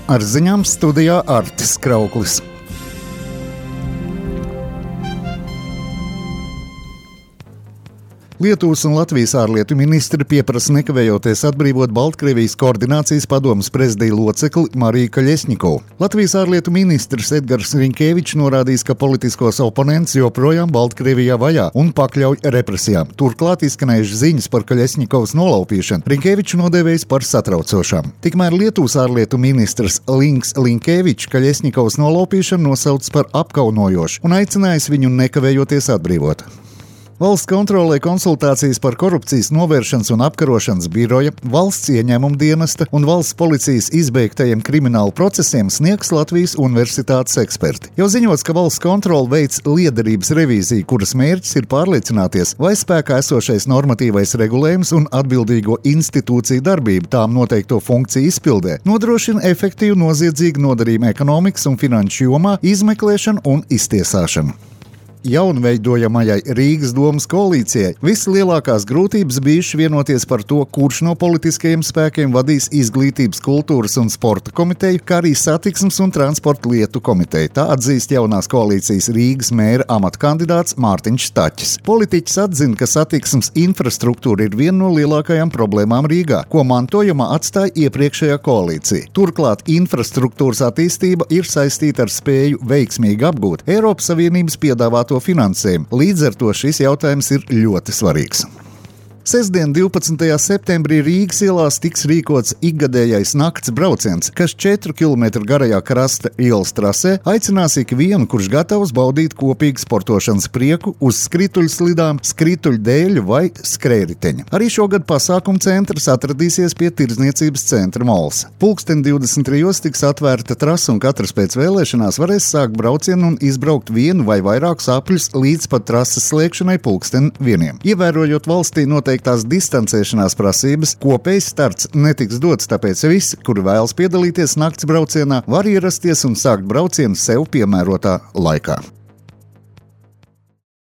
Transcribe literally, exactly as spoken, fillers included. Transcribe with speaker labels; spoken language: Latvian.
Speaker 1: Ar ziņām studijā Artis Krauklis. Lietuvas un Latvijas ārlietu ministri pieprasa nekavējoties atbrīvot Baltkrievijas koordinācijas padomes prezidija locekli Mariju Kaļesņikovu. Latvijas ārlietu ministrs Edgars Riņkevičs norādījis, ka politiskos oponentus joprojām Baltkrievijā vajā un pakļauj represijām. Turklāt izskanējušas ziņas par Kaļesņikovas nolaupīšanu Riņkevičs nodēvējis par satraucošām. Tikmēr Lietuvas ārlietu ministrs Lings Linkevičs Kaļesņikovas nolaupīšanu nosaucis par apkaunojošu un aicinājis viņu nekavējoties atbrīvot. Valsts kontrolē konsultācijas par korupcijas novēršanas un apkarošanas biroja, valsts ieņēmuma dienesta un valsts policijas izbeigtajiem kriminālu procesiem sniegs Latvijas universitātes eksperti. Jau ziņots, ka valsts kontrole veic liederības revīziju, kuras mērķis ir pārliecināties, vai spēkā esošais normatīvais regulējums un atbildīgo institūciju darbība tām noteikto funkciju izpildē nodrošina efektīvu noziedzīgu nodarījumu ekonomikas un finanšu jomā izmeklēšanu un iztiesāšanu. Jaunveidojamajai Rīgas domas koalīcijai vislielākās grūtības bijušas vienoties par to, kurš no politiskajiem spēkiem vadīs izglītības, kultūras un sporta komiteju, kā arī satiksmes un transporta lietu komiteju. Tā atzīst jaunās koalīcijas Rīgas mēra amata kandidāts Mārtiņš Staķis. Politiķis atzina, ka satiksmes infrastruktūra ir viena no lielākajām problēmām Rīgā, ko mantojumā atstāja iepriekšējā koalīcija. Turklāt infrastruktūras attīstība ir saistīta ar spēju veiksmīgi apgūt Eiropas Savienības piedāvāto finansējumu. Līdz ar to šis jautājums ir ļoti svarīgs. Sestdien, divpadsmitajā septembrī Rīgas ielās tiks rīkots ikgadējais nakts brauciens, kas četru kilometru garajā Krasta ielas trasē aicinās ikvienu, kurš gatavs baudīt kopīgu sportošanas prieku uz skrituļslidām, skrituļdēļu vai skrējriteņa. Arī šogad pasākuma centrs atradīsies pie Tirdzniecības centra mols. Pulksten divdesmit trijos tiks atvērta trasa un katrs pēc vēlēšanās varēs sākt braucienu un izbraukt vienu vai vairākus apļus līdz pat trases slēgšanai pulksten vieniem. Ievērojot valstī noteikti tās distancēšanās prasības, kopējs starts netiks dots, tāpēc visi, kuri vēlas piedalīties nakts braucienā, var ierasties un sākt braucienu sev piemērotā laikā.